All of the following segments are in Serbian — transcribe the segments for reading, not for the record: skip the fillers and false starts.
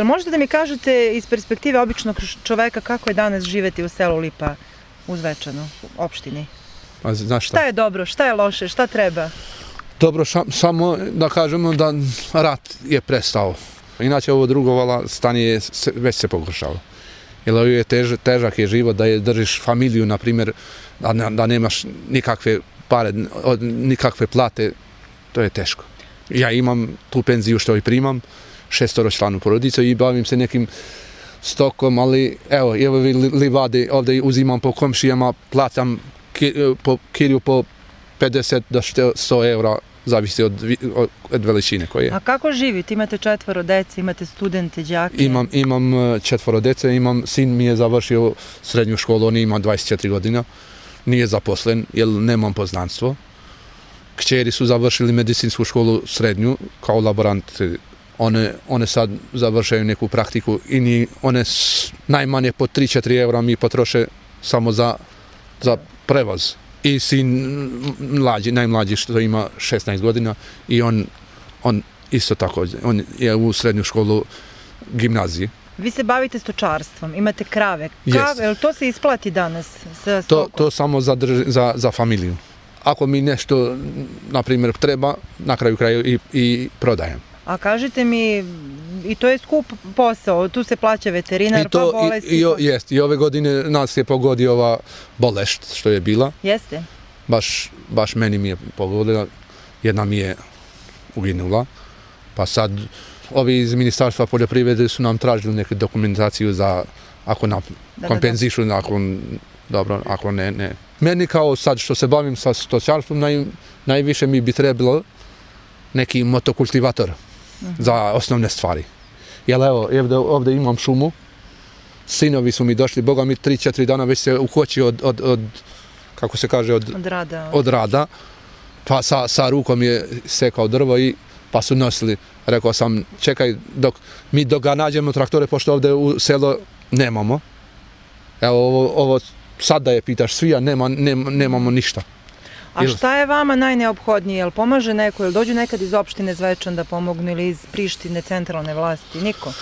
Možete da mi kažete iz perspektive običnog čoveka kako je danas živeti u selu Lipa u Zvečanu, opštini? Znaš šta? Šta je dobro, šta je loše, šta treba? Dobro, samo da kažemo da rat je prestao. Inače ovo drugo stanje već se pogoršalo. Jer ovo je težak je život da je držiš familiju, na primjer, da nemaš nikakve pare, nikakve plate, to je teško. Ja imam tu penziju što i primam, 6-članu porodicu i bavim se nekim stokom, ali evo livade ovdje uzimam po komšijama, plaćam po kilju po 50 do 100 eura, zavisi od veličine koje je. A kako živite? Imate 4 dece, imate studente, đake? Imam 4 dece, sin mi je završio srednju školu, on ima 24 godina, nije zaposlen jer nemam poznanstvo. Kćeri su završili medicinsku školu srednju kao laboranti. One sad završaju neku praktiku i one najmanje po 3-4 eura mi potroše samo za prevoz. I sin najmlađi što ima 16 godina i on isto tako, on je u srednju školu gimnaziji. Vi se bavite stočarstvom, imate krave. Jel to se isplati danas sa stokom? To samo za familiju. Ako mi nešto, na primjer, treba, na kraju i prodajem. A kažite mi, i to je skup posao, tu se plaća veterinar, pa bolesti? Jest, i ove godine nas je pogodio ova bolest što je bila. Jeste? Baš meni mi je pogodila, jedna mi je uginula, pa sad ovi iz Ministarstva poljoprivrede su nam tražili neku dokumentaciju za, ako nam kompenzišu, ako ne. Meni kao sad što se bavim sa stočarstvom, najviše mi bi trebalo neki motokultivator za osnovne stvari. Jer evo, ovdje imam šumu, sinovi su mi došli, boga mi 3-4 dana već se uhoći od kako se kaže, od rada, pa sa rukom je sekao drvo i pa su nosili. Rekao sam, čekaj, dok ga nađemo traktore, pošto ovdje u selo nemamo. Evo, ovo sad da je pitaš svi, a nemamo ništa. A šta je vama najneophodnije? Jel pomaže neko? Jel dođu nekad iz opštine Zvečan da pomognu ili iz Prištine, centralne vlasti? Niko?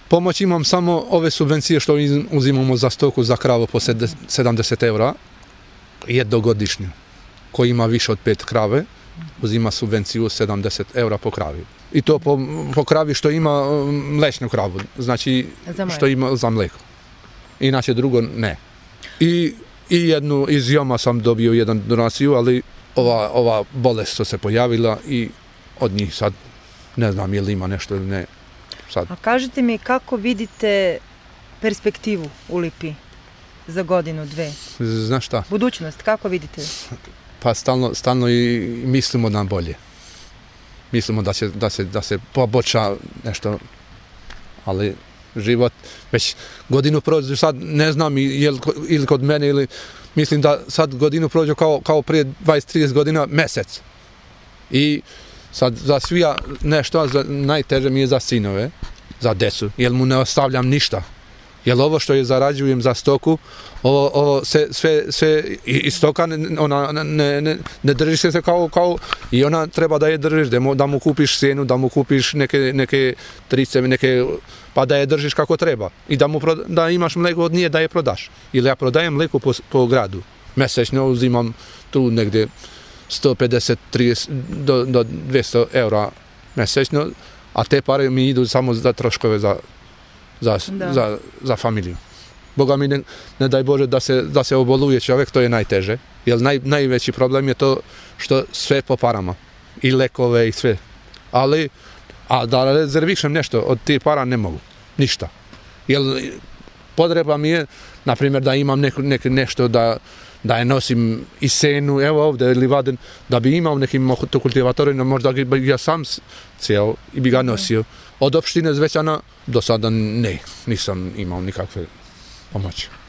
Pomoć imam samo ove subvencije što uzimamo za stoku, za kravu po 70 eura, jednogodišnju. Ko ima više od 5 krave, uzima subvenciju 70 eura po kravi. I to po kravi što ima mlečnu kravu, znači što ima za mleko. Inače drugo ne. I iz Joma sam dobio jednu donaciju, ali ova bolest što se pojavila i od njih sad ne znam je li ima nešto ili ne. Sad. A kažite mi kako vidite perspektivu u Lipi za godinu, 2? Znaš šta? Budućnost, kako vidite? Pa stalno i mislimo na bolje. Mislimo da se poboljša nešto, ali život već godinu prođe, sad ne znam ili kod mene ili mislim da sad godinu prođe kao prije 20-30 godina mjesec. I sad za svija nešto, najteže mi je za sinove, za decu, jer mu ne ostavljam ništa. Jer ovo što je zarađujem za stoku, ovo sve i stoka, ona ne drži se kao i ona treba da je držiš, da mu kupiš sjenu, da mu kupiš neke trice, pa da je držiš kako treba. I da imaš mleko od nje da je prodaš. Ili ja prodajem mleko po gradu. Mesečno uzimam tu negdje 150-30 do 200 eura mesečno, a te pare mi idu samo za troškove za familiju. Boga mi ne daj Bože da se oboluje čovjek, to je najteže. Jer najveći problem je to što sve po parama. I lekove i sve. A da rezervišem nešto od tih para ne mogu. Ništa. Jer potreba mi je, na primjer, da imam nešto da je nosim i senu, evo ovdje ili vaden, da bi imao neki motokultivator, možda bi ja sam cijel i bi ga nosio. Od opštine Zvečana do sada nisam imao nikakve pomoći.